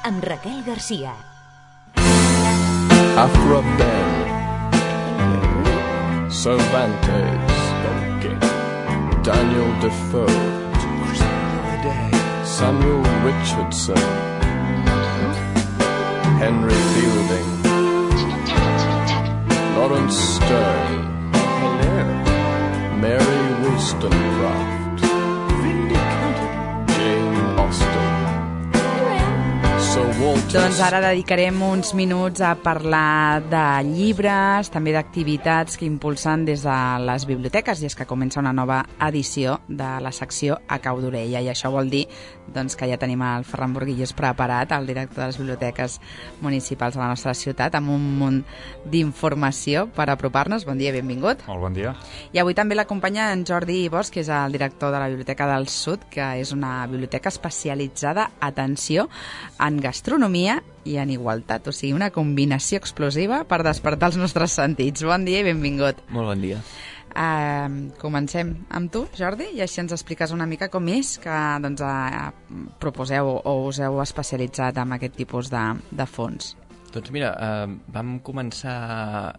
amb Raquel Garcia. After a band, Cervantes, Daniel Defoe, Samuel Richardson, Henry Fielding, Lawrence Stern, Mary Wollstonecraft, Jane Austen, Sir Walter. Doncs ara dedicarem uns minuts a parlar de llibres, també d'activitats que impulsen des de les biblioteques, i és que comença una nova edició de la secció A cau d'orella, i això vol dir doncs, que ja tenim el Ferran Burguillos preparat, el director de les biblioteques municipals de la nostra ciutat, amb un munt d'informació per apropar-nos. Bon dia, benvingut. Molt bon dia. I avui també l'acompanya en Jordi Bosch, que és el director de la Biblioteca del Sud, que és una biblioteca especialitzada, atenció, en gastronomia i en igualtat, o sigui, una combinació explosiva per despertar els nostres sentits. Bon dia i benvingut. Molt bon dia. Comencem amb tu, Jordi, i així ens expliques una mica com és que doncs, proposeu o us heu especialitzat en aquest tipus de fons. Doncs mira, vam començar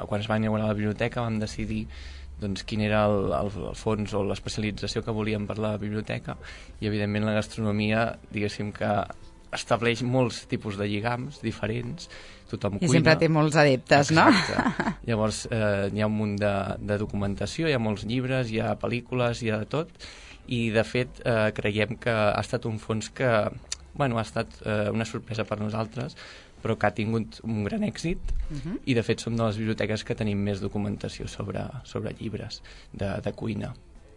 quan es va inaugurar la biblioteca vam decidir doncs, quin era el fons o l'especialització que volíem per la biblioteca, i evidentment la gastronomia, diguéssim que estableix molts tipus de lligams diferents, tothom cuina. I sempre té molts adeptes, no? Exacte. Llavors hi ha un munt de documentació, hi ha molts llibres, hi ha pel·lícules, hi ha de tot, i de fet creiem que ha estat un fons que ha estat una sorpresa per nosaltres, però que ha tingut un gran èxit, i de fet som de les biblioteques que tenim més documentació sobre llibres de cuina.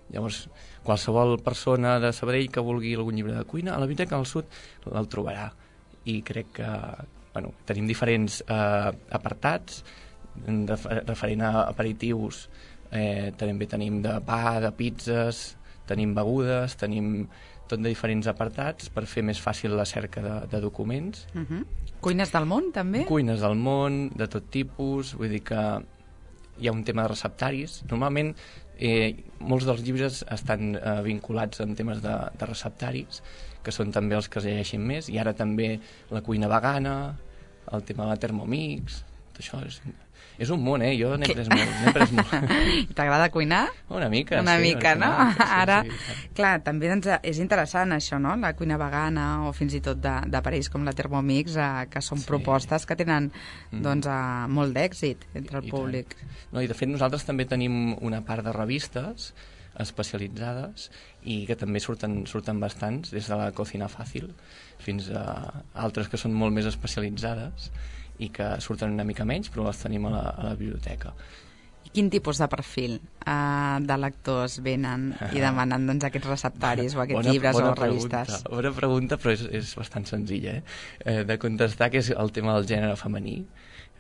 Llavors, qualsevol persona de Sabadell que vulgui algun llibre de cuina, a la Biblioteca del Sud el trobarà, i crec que tenim diferents apartats referent a aperitius, també tenim de pa, de pizzas, tenim begudes, tenim tot de diferents apartats per fer més fàcil la cerca de documents. Cuines del món, també? Cuines del món, de tot tipus, vull dir que hi ha un tema de receptaris. Normalment molts dels llibres estan vinculats amb temes de receptaris, que són també els que es llegeixen més, i ara també la cuina vegana, el tema de la Thermomix, tot això és un món, jo n'he pres molt. T'agrada cuinar? Una mica, Una mica, no? Sí, ara, clar, també és interessant això, no? La cuina vegana, o fins i tot d'aparells com la Thermomix, que són propostes que tenen molt d'èxit entre el públic. No, i de fet nosaltres també tenim una part de revistes especialitzades i que també surten bastants, des de la Cocina Fàcil fins a altres que són molt més especialitzades i que surten una mica menys, però les tenim a la biblioteca. I quin tipus de perfil de lectors venen i demanen aquests receptaris o aquests llibres o revistes? Bona pregunta, però és bastant senzilla de contestar, que és el tema del gènere femení.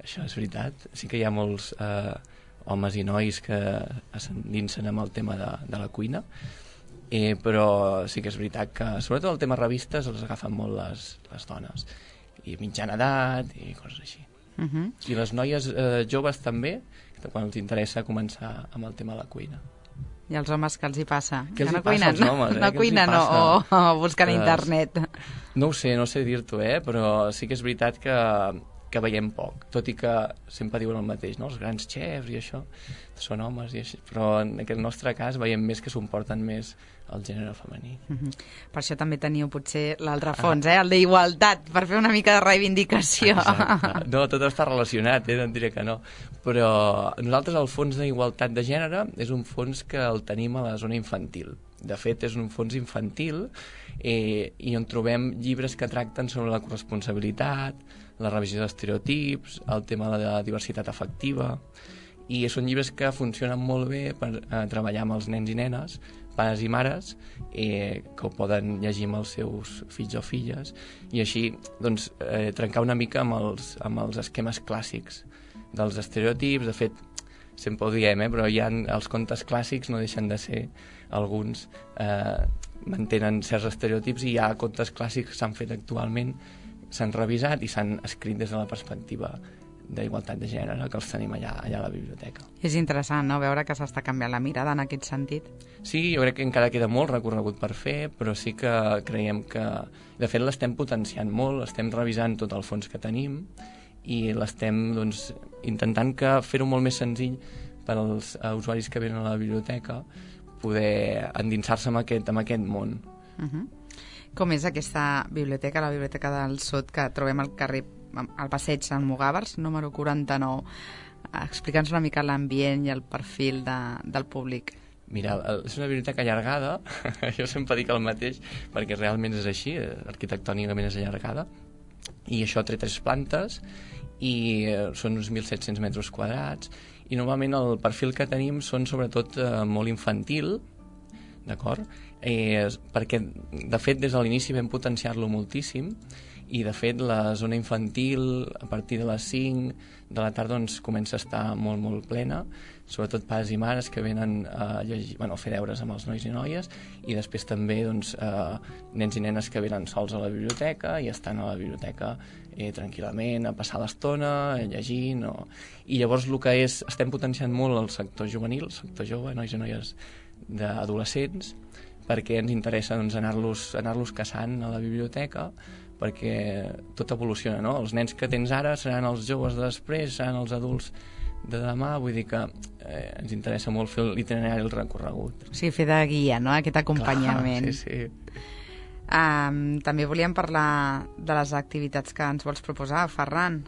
Això és veritat. Sí que hi ha molts homes i nois que s'endinsen amb el tema de la cuina, però sí que és veritat que sobretot el tema revistes els agafen molt les dones, i mitjana edat i coses així. I les noies joves també, quan els interessa començar amb el tema de la cuina. I els homes, què els hi passa? Què els hi passa als homes? No cuinen o busquen internet? No ho sé, no sé dir-t'ho, però sí que és veritat que veiem poc, tot i que sempre diuen el mateix, no? Els grans xefs i això són homes i així, però en aquest nostre cas veiem més que s'ho porten més el gènere femení. Per això també teniu potser l'altre fons, el d'igualtat, per fer una mica de reivindicació. Exacte. No, tot està relacionat, no et diré que no, però nosaltres el fons d'igualtat de gènere és un fons que el tenim a la zona infantil. De fet, és un fons infantil i on trobem llibres que tracten sobre la corresponsabilitat, la revisió d'estereotips, el tema de la diversitat afectiva, i són llibres que funcionen molt bé per treballar amb els nens i nenes, pares i mares, que ho poden llegir amb els seus fills o filles, i així trencar una mica amb els esquemes clàssics dels estereotips. De fet, sempre ho diem, però els contes clàssics no deixen de ser, alguns mantenen certs estereotips, i hi ha contes clàssics que s'han fet actualment, s'han revisat i s'han escrit des de la perspectiva d'Igualtat de Gènere, que els tenim allà a la biblioteca. És interessant, no?, veure que s'està canviant la mirada en aquest sentit. Sí, jo crec que encara queda molt recorregut per fer, però sí que creiem que... De fet, l'estem potenciant molt, estem revisant tot el fons que tenim i l'estem doncs, intentant fer-ho molt més senzill per als usuaris que venen a la biblioteca poder endinsar-se en aquest món. Com és aquesta biblioteca, la Biblioteca del Sud, que trobem al carrer, al passeig Sant Mugàvers, número 49? Explica'ns una mica l'ambient i el perfil del públic. Mira, és una biblioteca allargada, jo sempre dic el mateix, perquè realment és així, arquitectònicament és allargada, i això té 3 plantes, i són uns 1.700 metres quadrats, i normalment el perfil que tenim són sobretot molt infantil, d'acord? Perquè, de fet, des de l'inici vam potenciar-lo moltíssim, i de fet la zona infantil a partir de les 5 de la tarda doncs, comença a estar molt, molt plena, sobretot pares i mares que venen a llegir, a fer deures amb els nois i noies, i després també doncs, nens i nenes que venen sols a la biblioteca i estan a la biblioteca tranquil·lament, a passar l'estona, llegint. I llavors el que estem potenciant molt el sector juvenil, el sector jove, nois i noies d'adolescents, perquè ens interessa doncs, anar-los caçant a la biblioteca, perquè tot evoluciona, no? Els nens que tens ara seran els joves de després, seran els adults de demà, vull dir que ens interessa molt fer l'itinerari, el recorregut. Sí, fer de guia, no?, aquest acompanyament. Clar, sí. També volíem parlar de les activitats que ens vols proposar, Ferran.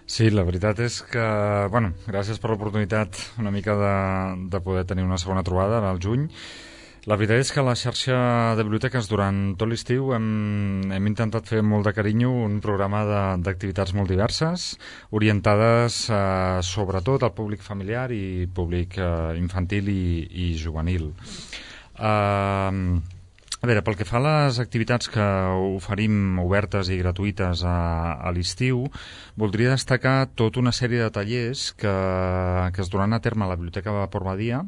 Sí, la veritat és que, gràcies per l'oportunitat una mica de poder tenir una segona trobada al juny. La veritat és que a la xarxa de biblioteques durant tot l'estiu hem intentat fer molt de carinyo un programa d'activitats molt diverses, orientades sobretot al públic familiar i públic infantil i juvenil. A veure, pel que fa a les activitats que oferim obertes i gratuïtes a l'estiu, voldria destacar tota una sèrie de tallers que es duran a terme a la Biblioteca Vapor Badia,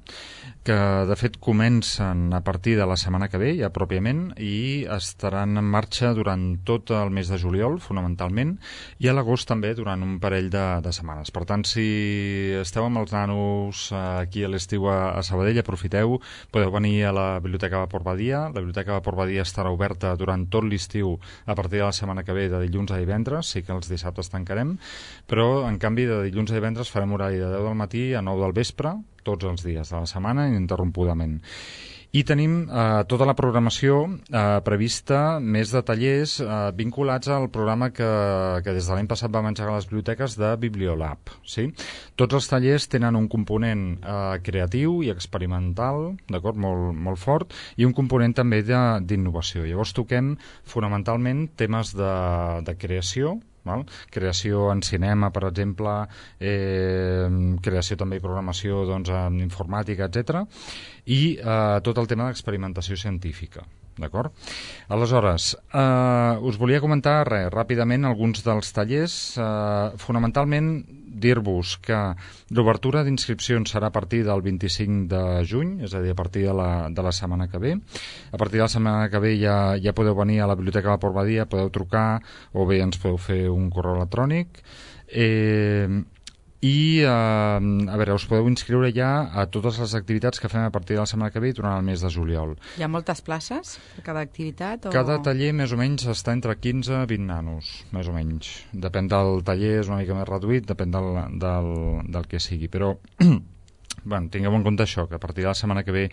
que de fet comencen a partir de la setmana que ve, ja pròpiament, i estaran en marxa durant tot el mes de juliol, fonamentalment, i a l'agost també durant un parell de setmanes. Per tant, si esteu amb els nanos aquí a l'estiu a Sabadell, aprofiteu, podeu venir a la Biblioteca Vapor Badia. La Biblioteca Vapor Badia estarà oberta durant tot l'estiu a partir de la setmana que ve, de dilluns a divendres, sí que els dissabtes tancarem, però en canvi de dilluns a divendres farem horari de 10 del matí a 9 del vespre, tots els dies de la setmana, ininterrompudament. I tenim tota la programació prevista, més de tallers vinculats al programa que des de l'any passat vam engegar a les biblioteques de Bibliolab. Sí? Tots els tallers tenen un component creatiu i experimental, d'acord, molt fort, i un component també d'innovació. Llavors toquem fonamentalment temes de creació, creació en cinema, per exemple, creació també i programació en informàtica, etc. I tot el tema d'experimentació científica. D'acord? Aleshores, us volia comentar ràpidament alguns dels tallers. Fonamentalment, dir-vos que l'obertura d'inscripcions serà a partir del 25 de juny, és a dir, a partir de la setmana que ve. A partir de la setmana que ve ja podeu venir a la Biblioteca Vapor Badia, podeu trucar o bé ens podeu fer un correu electrònic. I, a veure, us podeu inscriure ja a totes les activitats que fem a partir de la setmana que ve durant el mes de juliol. Hi ha moltes places per cada activitat? Cada taller més o menys està entre 15 i 20 nanos, més o menys. Depèn del taller, és una mica més reduït, depèn del que sigui, però tingueu en compte això, que a partir de la setmana que ve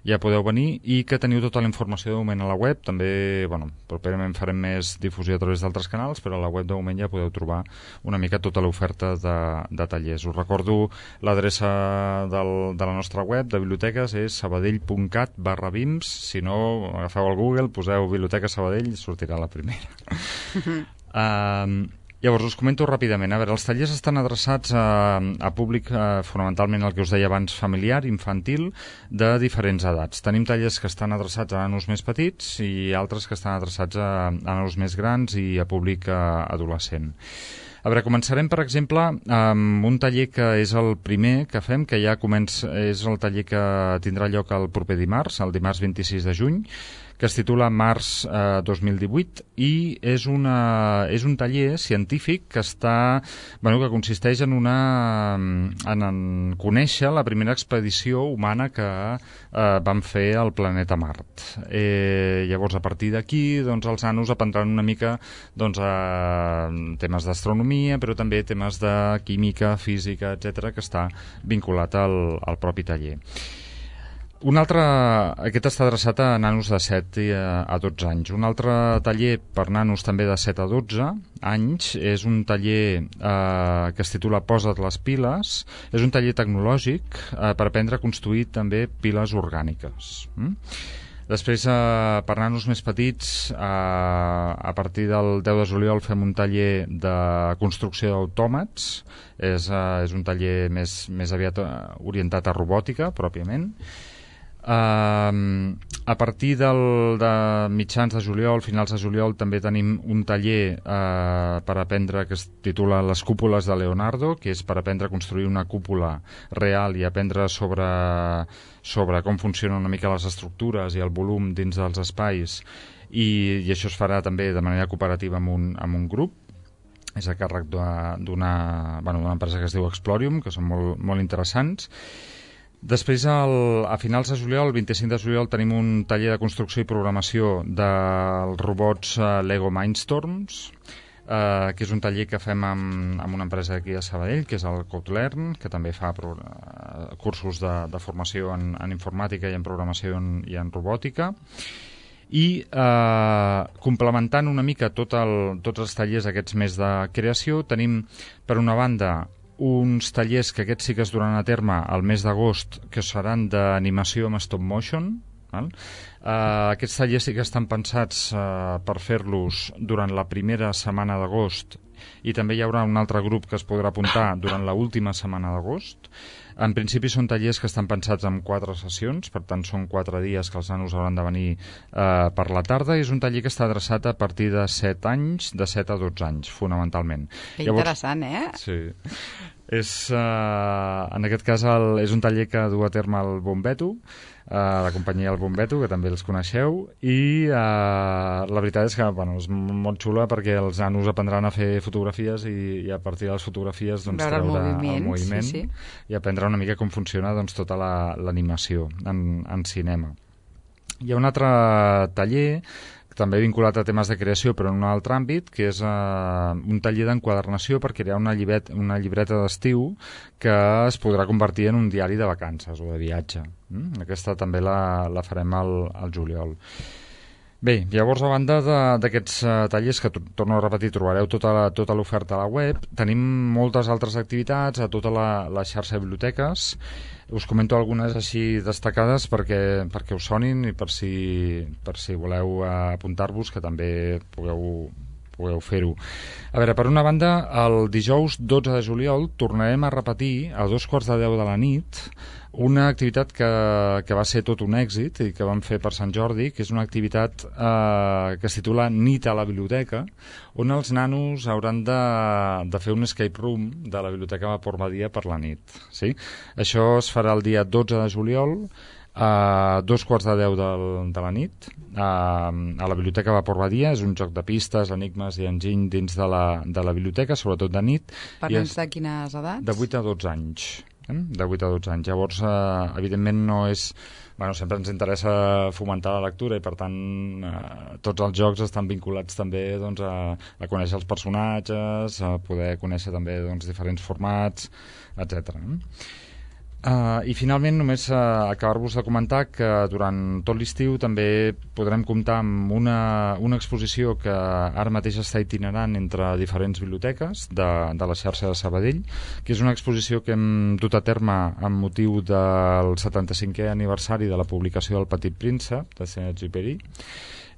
ja podeu venir i que teniu tota la informació de moment a la web. També, properament farem més difusió a través d'altres canals, però a la web de moment ja podeu trobar una mica tota l'oferta de tallers. Us recordo l'adreça de la nostra web de biblioteques és sabadell.cat/bims. Si no, agafeu el Google, poseu Biblioteca Sabadell i sortirà la primera. Llavors, us comento ràpidament. A veure, els tallers estan adreçats a públic, fonamentalment el que us deia abans, familiar, infantil, de diferents edats. Tenim tallers que estan adreçats a nanos més petits i altres que estan adreçats a nanos més grans i a públic adolescent. A veure, començarem, per exemple, amb un taller que és el primer que fem, que ja és el taller que tindrà lloc el proper dimarts, el dimarts 26 de juny, que es titula Març 2018 i és un taller científic que que consisteix en conèixer la primera expedició humana que van fer al planeta Mart. Llavors, a partir d'aquí, doncs, els nanos aprendran una mica temes d'astronomia, però també temes de química, física, etc, que està vinculat al propi taller. Aquest està adreçat a nanos de 7 a 12 anys. Un altre taller per nanos també de 7 a 12 anys és un taller que es titula Posa't les piles. És un taller tecnològic per aprendre a construir també piles orgàniques. Després, per nanos més petits, a partir del 10 de juliol fem un taller de construcció d'autòmats. És un taller més aviat orientat a robòtica, pròpiament. A partir de mitjans de juliol, finals de juliol, també tenim un taller per aprendre que es titula Les cúpules de Leonardo, que és per aprendre a construir una cúpula real i aprendre sobre com funcionen una mica les estructures i el volum dins dels espais, i això es farà també de manera cooperativa amb un grup. És a càrrec d'una empresa que es diu Explorium, que són molt interessants. Després, a finals de juliol, el 25 de juliol, tenim un taller de construcció i programació dels robots Lego Mindstorms, que és un taller que fem amb una empresa aquí a Sabadell, que és el CodeLearn, que també fa cursos de formació en informàtica i en programació i en robòtica. I complementant una mica tots els tallers aquests més de creació, tenim, per una banda, uns tallers que aquests sí que es duran a terme al mes d'agost, que seran d'animació amb stop motion. Aquests tallers sí que estan pensats per fer-los durant la primera setmana d'agost, i també hi haurà un altre grup que es podrà apuntar durant l'última setmana d'agost. En principi són tallers que estan pensats en 4 sessions, per tant són 4 dies que els nanos hauran de venir per la tarda, i és un taller que està adreçat a partir de 7 anys, de 7 a 12 anys, fonamentalment. Que interessant, Sí. En aquest cas és un taller que du a terme el Bombeto, la companyia El Bombeto, que també els coneixeu, i la veritat és que és molt xula perquè els nanos aprendran a fer fotografies i a partir de les fotografies treure el moviment i aprendre una mica com funciona tota l'animació en cinema. Hi ha un altre taller també vinculat a temes de creació, però en un altre àmbit, que és un taller d'enquadernació per crear una llibreta d'estiu que es podrà convertir en un diari de vacances o de viatge. Aquesta també la farem al juliol. Bé, llavors, a banda d'aquests tallers, que torno a repetir, trobareu tota l'oferta a la web, tenim moltes altres activitats a tota la xarxa de biblioteques. Us comento algunes així destacades perquè us sonin i per si voleu apuntar-vos, que també pugueu fer-ho. A veure, per una banda, el dijous 12 de juliol tornarem a repetir a 2:45 de la nit una activitat que va ser tot un èxit i que vam fer per Sant Jordi, que és una activitat que es titula Nit a la biblioteca, on els nanos hauran de fer un escape room de la biblioteca Vapor Badia per la nit. Sí? Això es farà el dia 12 de juliol a 2:45 de la nit a la biblioteca Vapor Badia. És un joc de pistes, enigmes i enginy dins de la biblioteca, sobretot de nit. Per nens de quines edats? De 8 a 12 anys. De 8 a 12 anys. Llavors, evidentment, no és... sempre ens interessa fomentar la lectura i, per tant, tots els jocs estan vinculats també a conèixer els personatges, a poder conèixer també diferents formats, etc. I finalment només acabar-vos de comentar que durant tot l'estiu també podrem comptar amb una exposició que ara mateix està itinerant entre diferents biblioteques de la xarxa de Sabadell, que és una exposició que hem dut a terme amb motiu del 75è aniversari de la publicació del Petit Príncep de Saint-Exupéry.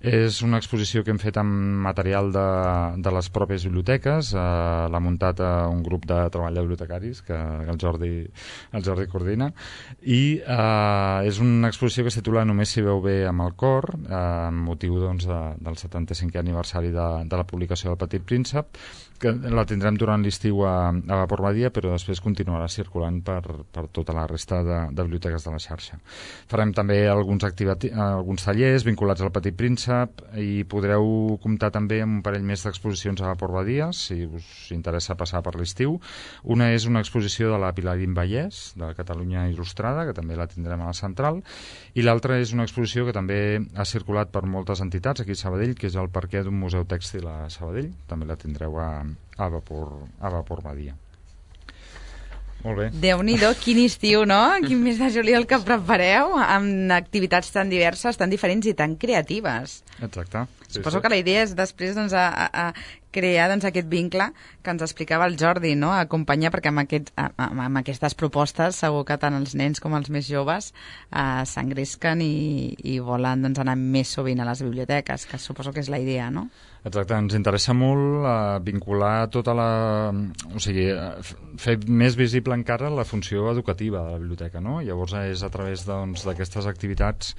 És una exposició que hem fet amb material de les pròpies biblioteques, l'ha muntat un grup de treball de bibliotecaris que el Jordi coordina, i és una exposició que es titula Només s'hi veu bé amb el cor, amb motiu doncs, del 75è aniversari de la publicació del Petit Príncep, que la tindrem durant l'estiu a Vapor Badia, però després continuarà circulant per tota la resta de biblioteques de la xarxa. Farem també alguns tallers vinculats al Petit Príncep i podreu comptar també amb un parell més d'exposicions a Vapor Badia, si us interessa passar per l'estiu. Una és una exposició de la Pilarín Vallès, de Catalunya Il·lustrada, que també la tindrem a la Central, i l'altra és una exposició que també ha circulat per moltes entitats aquí a Sabadell, que és el perquè d'un museu tèxtil a Sabadell. També la tindreu a Vapor Badia. Molt bé. Déu-n'hi-do, quin estiu, no? Quin mes de juliol que prepareu amb activitats tan diverses, tan diferents i tan creatives. Exacte. Suposo que la idea és després doncs, a crear doncs, aquest vincle que ens explicava el Jordi, no? Acompanyar, perquè amb aquestes propostes segur que tant els nens com els més joves s'engresquen i volen doncs, anar més sovint a les biblioteques, que suposo que és la idea, no? Exacte, ens interessa molt vincular tota la... O sigui, fer més visible encara la funció educativa de la biblioteca, no? Llavors és a través d'aquestes activitats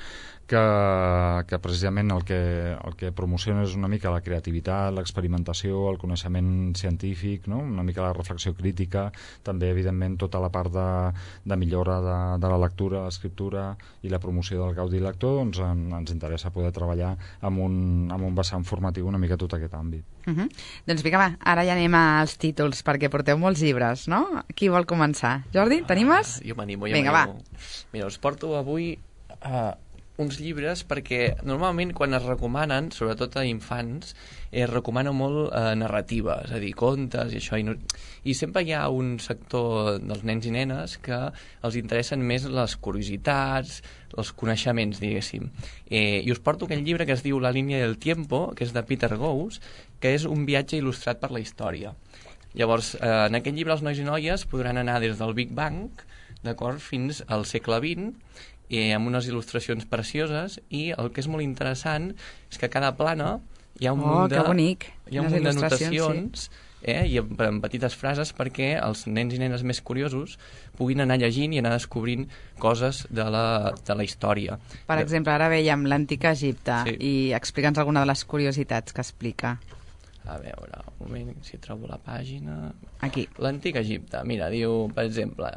que precisament el que promociona és una mica la creativitat, l'experimentació, el coneixement científic, no? Una mica la reflexió crítica, també evidentment tota la part de millora de la lectura, l'escriptura i la promoció del gaudi lector, doncs ens interessa poder treballar amb un vessant formatiu una mica tot aquest àmbit. Doncs vinga, va, ara ja anem als títols, perquè porteu molts llibres, no? Qui vol començar? Jordi, t'animes? Jo m'animo. Vinga, va. Mira, us porto avui uns llibres perquè normalment quan es recomanen, sobretot a infants, es recomana molt narrativa, és a dir, contes i això, i sempre hi ha un sector dels nens i nenes que els interessen més les curiositats, els coneixements, diguéssim. I us porto aquell llibre que es diu La línia del tiempo, que és de Peter Gous, que és un viatge il·lustrat per la història. Llavors, en aquest llibre els nois i noies podran anar des del Big Bang, d'acord, fins al segle XX, amb unes il·lustracions precioses, i el que és molt interessant és que a cada plana hi ha un munt de notacions, i en petites frases perquè els nens i nenes més curiosos puguin anar llegint i anar descobrint coses de la història. Per exemple, ara veiem l'antic Egipte, sí. I explica'ns alguna de les curiositats que explica. A veure, un moment, si trobo la pàgina... Aquí. L'antic Egipte, mira, diu, per exemple,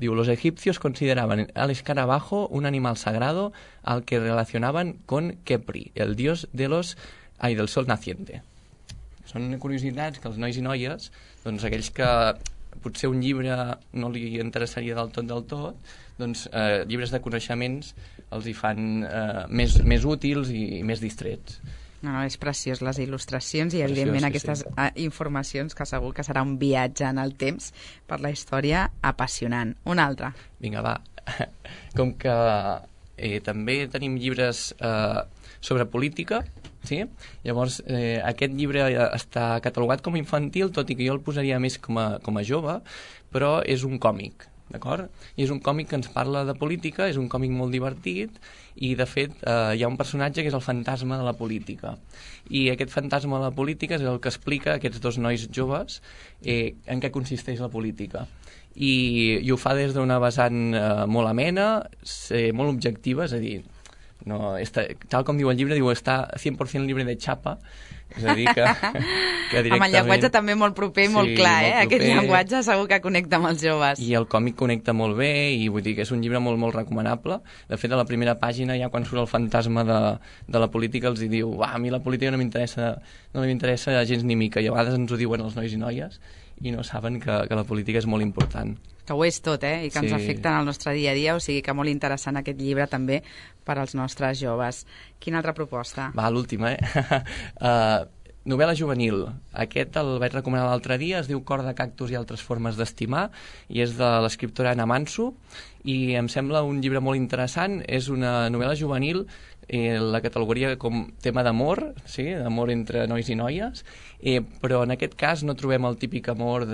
los egipcios consideraban al escarabajo un animal sagrado al que relacionaban con Khepri, el dios del sol naciente. Són curiositats que els nois i noies, doncs aquells que potser un llibre no li interessaria del tot, doncs llibres de coneixements els hi fan més útils i més distrets. No, és preciós, les il·lustracions i, evidentment, aquestes informacions que segur que serà un viatge en el temps per la història apassionant. Un altre. Vinga, va. Com que també tenim llibres sobre política, sí? Llavors, aquest llibre està catalogat com a infantil, tot i que jo el posaria més com a jove, però és un còmic. D'acord? I és un còmic que ens parla de política, és un còmic molt divertit i, de fet, hi ha un personatge que és el fantasma de la política. I aquest fantasma de la política és el que explica a aquests dos nois joves en què consisteix la política. I ho fa des d'una vessant molt amena, molt objectiva, és a dir, no, tal com diu el llibre, està 100% llibre de xapa, és a dir, que directament... Amb el llenguatge també molt proper i molt clar, molt aquest llenguatge segur que connecta amb els joves. I el còmic connecta molt bé, i vull dir que és un llibre molt, molt recomanable. De fet, a la primera pàgina, ja quan surt el fantasma de la política, els hi diu, a mi la política no m'interessa gens ni mica, i a vegades ens ho diuen els nois i noies, i no saben que la política és molt important. Que ho és tot, i que ens afecta en el nostre dia a dia, o sigui que molt interessant aquest llibre també per als nostres joves. Quina altra proposta? Va, l'última, novel·la juvenil. Aquest el vaig recomanar l'altre dia, es diu Cor de cactus i altres formes d'estimar, i és de l'escriptora Ana Manso, i em sembla un llibre molt interessant. És una novel·la juvenil, la categoria com tema d'amor, sí? D'amor entre nois i noies, però en aquest cas no trobem el típic amor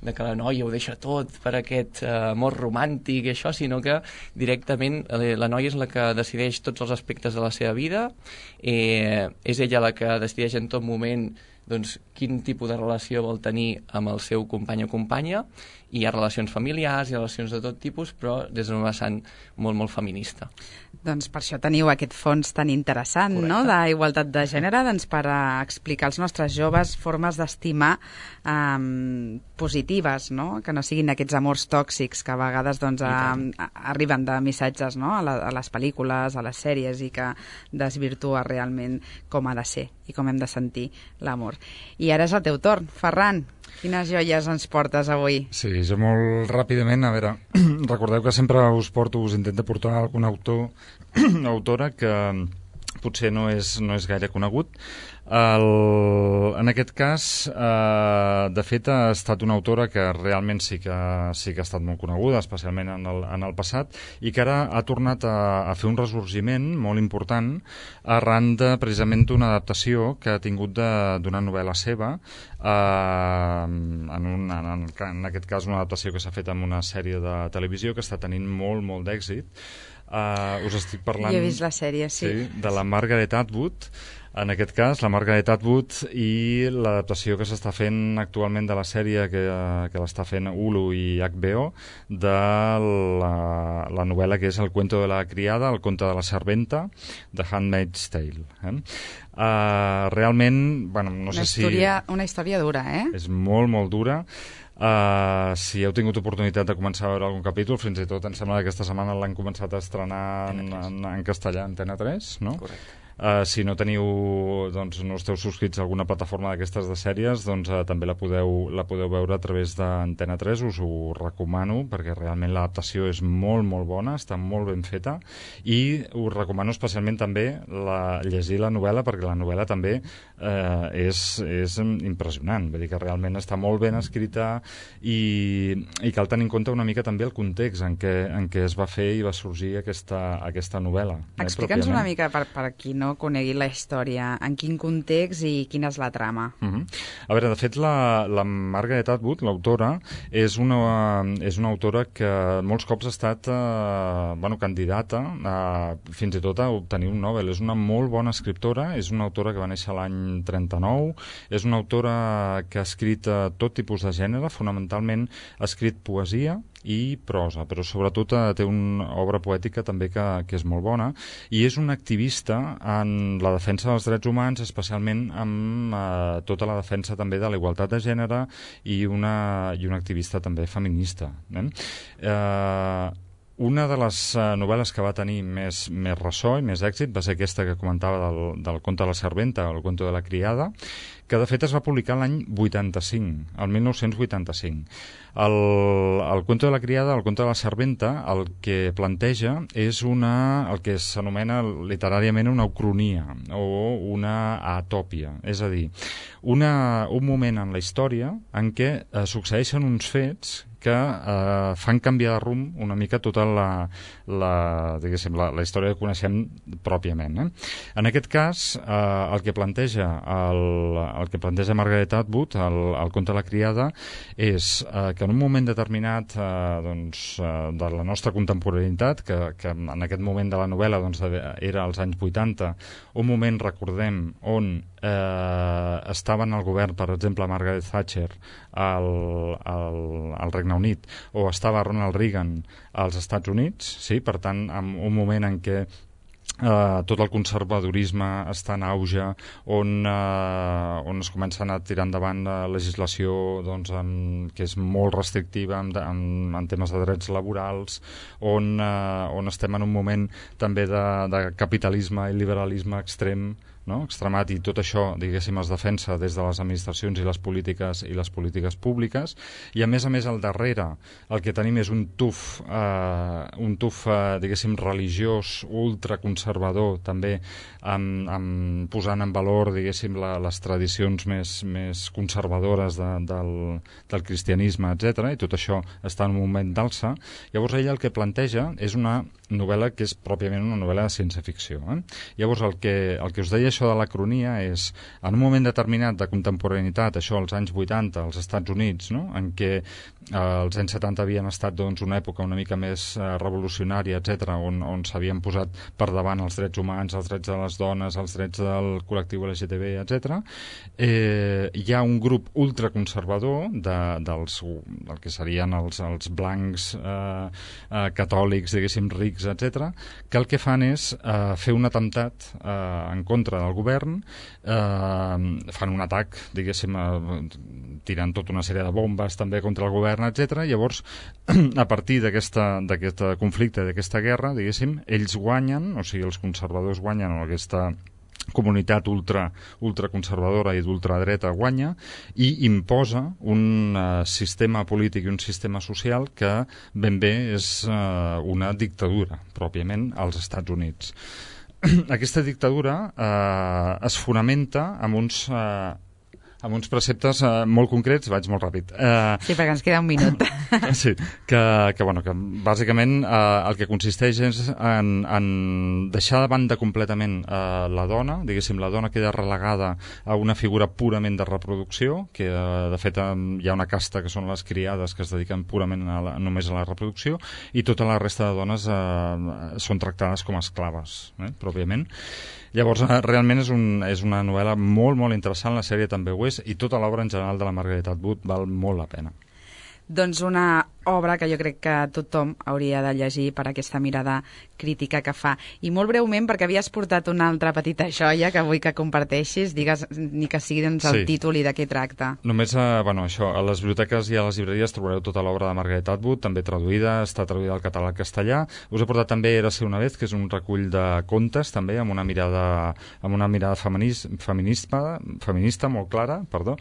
de que la noia ho deixa tot per aquest amor romàntic i això, sinó que directament la noia és la que decideix tots els aspectes de la seva vida, és ella la que decideix en tot moment doncs, quin tipus de relació vol tenir amb el seu company o companya. Hi ha relacions familiars, hi ha relacions de tot tipus, però des d'un vessant molt, molt feminista. Doncs per això teniu aquest fons tan interessant, no?, d'igualtat de gènere, doncs per explicar als nostres joves formes d'estimar positives, no?, que no siguin aquests amors tòxics que a vegades doncs, arriben de missatges, no?, a les pel·lícules, a les sèries, i que desvirtua realment com ha de ser i com hem de sentir l'amor. I ara és el teu torn. Ferran, quines joies ens portes avui? Sí, jo molt ràpidament, a veure, recordeu que sempre us intento portar algun autor o autora que potser no és gaire conegut. En aquest cas, de fet, ha estat una autora que realment sí que ha estat molt coneguda, especialment en el passat, i que ara ha tornat a fer un ressorgiment molt important arran precisament d'una adaptació que ha tingut d'una novel·la seva, en aquest cas una adaptació que s'ha fet en una sèrie de televisió que està tenint molt, molt d'èxit. Us estic parlant... Jo he vist la sèrie, sí. De la Margaret Atwood, en aquest cas, la Margaret Atwood, i l'adaptació que s'està fent actualment de la sèrie que l'està fent Hulu i HBO, de la novel·la que és El cuento de la criada, El conte de la serventa, The Handmaid's Tale. Realment, bueno, no sé si... Una història dura, És molt, molt dura. Si heu tingut oportunitat de començar a veure algun capítol, fins i tot em sembla que aquesta setmana l'han començat a estrenar en castellà, Antena 3, no? Correcte. Si no teniu, doncs, no esteu subscrits a alguna plataforma d'aquestes de sèries, doncs també la podeu veure a través d'Antena 3, us ho recomano, perquè realment l'adaptació és molt, molt bona, està molt ben feta, i us recomano especialment també llegir la novel·la, perquè la novel·la també és impressionant, vull dir que realment està molt ben escrita i cal tenir en compte una mica també el context en què es va fer i va sorgir aquesta novel·la. Explica'ns una mica per qui no conegui la història, en quin context i quina és la trama. A veure, de fet, la Margaret Atwood, l'autora, és una autora que molts cops ha estat candidata fins i tot a obtenir un Nobel. És una molt bona escriptora, és una autora que va néixer l'any 39, és una autora que ha escrit tot tipus de gènere, fonamentalment ha escrit poesia i prosa, però sobretot té una obra poètica també que és molt bona, i és una activista en la defensa dels drets humans, especialment amb tota la defensa també de la igualtat de gènere, i una activista també feminista. Una de les novel·les que va tenir més ressò i més èxit va ser aquesta que comentava del conte de la serventa, El cuento de la criada, que de fet es va publicar l'any 85, el 1985. El cuento de la criada, el conte de la serventa, el que planteja és el que s'anomena literàriament una ucronia o una atòpia, és a dir, un moment en la història en què succeeixen uns fets que fan canviar de rumb una mica tota la història que coneixem pròpiament. En aquest cas, el que planteja Margaret Atwood, el conte de la criada, és que en un moment determinat de la nostra contemporaneïtat, que en aquest moment de la novel·la era als anys 80, un moment, recordem, on estaven al govern, per exemple, Margaret Thatcher al Regne Unit, o estava Ronald Reagan als Estats Units, sí? Per tant, en un moment en què tot el conservadorisme està en auge, on es comencen a tirar endavant legislació que és molt restrictiva en temes de drets laborals, on estem en un moment també de capitalisme i liberalisme extrem, no? Extremat, i tot això, diguéssim, es defensa des de les administracions i les polítiques públiques, i a més al darrere el que tenim és un tuf diguéssim, religiós, ultraconservador, també posant en valor, diguéssim, les tradicions més conservadores del cristianisme, etc. I tot això està en un moment d'alça. Llavors ella el que planteja és una novel·la que és pròpiament una novel·la de ciència-ficció. Llavors el que us deia això de la cronia és, en un moment determinat de contemporaneïtat, això als anys 80 als Estats Units, no? En què els anys 70 havien estat doncs, una època una mica més revolucionària, etc, on s'havien posat per davant els drets humans, els drets de les dones, els drets del col·lectiu LGTB, etc. Hi ha un grup ultraconservador del que serien els blancs catòlics, diguéssim, rics, etc, que el que fan és fer un atemptat en contra del govern, fan un atac, diguéssim, tirant tota una sèrie de bombes també contra el govern, etc. Llavors, a partir d'aquest conflicte, d'aquesta guerra, diguéssim, ells guanyen, o sigui, els conservadors guanyen, o aquesta comunitat ultraconservadora i d'ultradreta guanya i imposa un sistema polític i un sistema social que ben bé és una dictadura, pròpiament, als Estats Units. Aquesta dictadura es fonamenta amb uns preceptes molt concrets. Vaig molt ràpid. Sí, perquè ens queda un minut. Sí, que bàsicament el que consisteix és en deixar de banda completament la dona, diguéssim, la dona queda relegada a una figura purament de reproducció, que de fet hi ha una casta que són les criades que es dediquen purament només a la reproducció, i tota la resta de dones són tractades com a esclaves, pròpiament. Llavors, realment és una novel·la molt, molt interessant, la sèrie també ho és, i tota l'obra en general de la Margaret Atwood val molt la pena. Doncs una obra que jo crec que tothom hauria de llegir per aquesta mirada crítica que fa. I molt breument, perquè havies portat una altra petita joia que vull que comparteixis, digues ni que sigui doncs, el títol i de què tracta. Només, això, a les biblioteques i a les llibreries trobareu tota l'obra de Margaret Atwood, també traduïda, està traduïda al català i al castellà. Us he portat també Érase una vez, que és un recull de contes, també, amb una mirada feminista molt clara, perdó.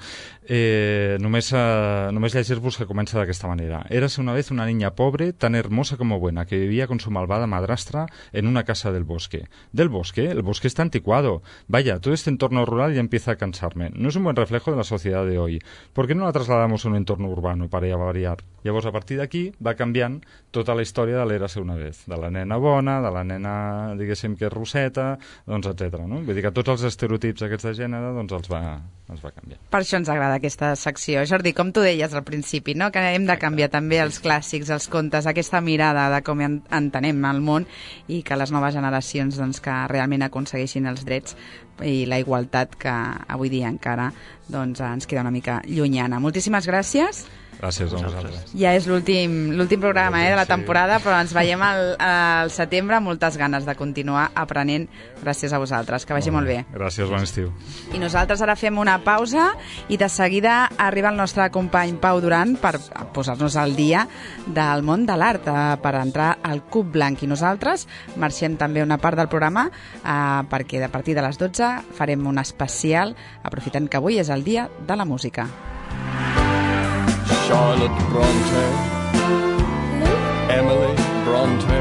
Només llegir-vos que comença d'aquesta manera. Érase una vez una niña pobre, tan hermosa como buena, que vivía con su malvada madrastra en una casa del bosque. ¿Del bosque? El bosque está anticuado. Vaya, todo este entorno rural ya empieza a cansarme. No es un buen reflejo de la sociedad de hoy. ¿Por qué no la trasladamos a un entorno urbano para variar? Llavors, a partir d'aquí, va canviant tota la història de l'Érase una vez. De la nena bona, de la nena, diguéssim, que és rosseta, doncs, etc. No? Vull dir que tots els estereotips aquests de gènere doncs, els va canviar. Per això ens agrada aquesta secció. Jordi, com tu deies al principi, no? Que hem de canviar també els clàssics, els contes, aquesta mirada de com entenem el món i que les noves generacions doncs, que realment aconsegueixin els drets i la igualtat que avui dia encara doncs, ens queda una mica llunyana. Moltíssimes gràcies. Gràcies a vosaltres. Ja és l'últim programa de la temporada, però ens veiem al setembre amb moltes ganes de continuar aprenent gràcies a vosaltres. Que vagi molt bé. Gràcies, bon estiu. I nosaltres ara fem una pausa i de seguida arriba el nostre company Pau Duran per posar-nos al dia del món de l'art, per entrar al Cub Blanc. I nosaltres marxem també una part del programa perquè a partir de les 12 farem un especial, aprofitant que avui és el dia de la música. Charlotte Bronte, Emily Bronte,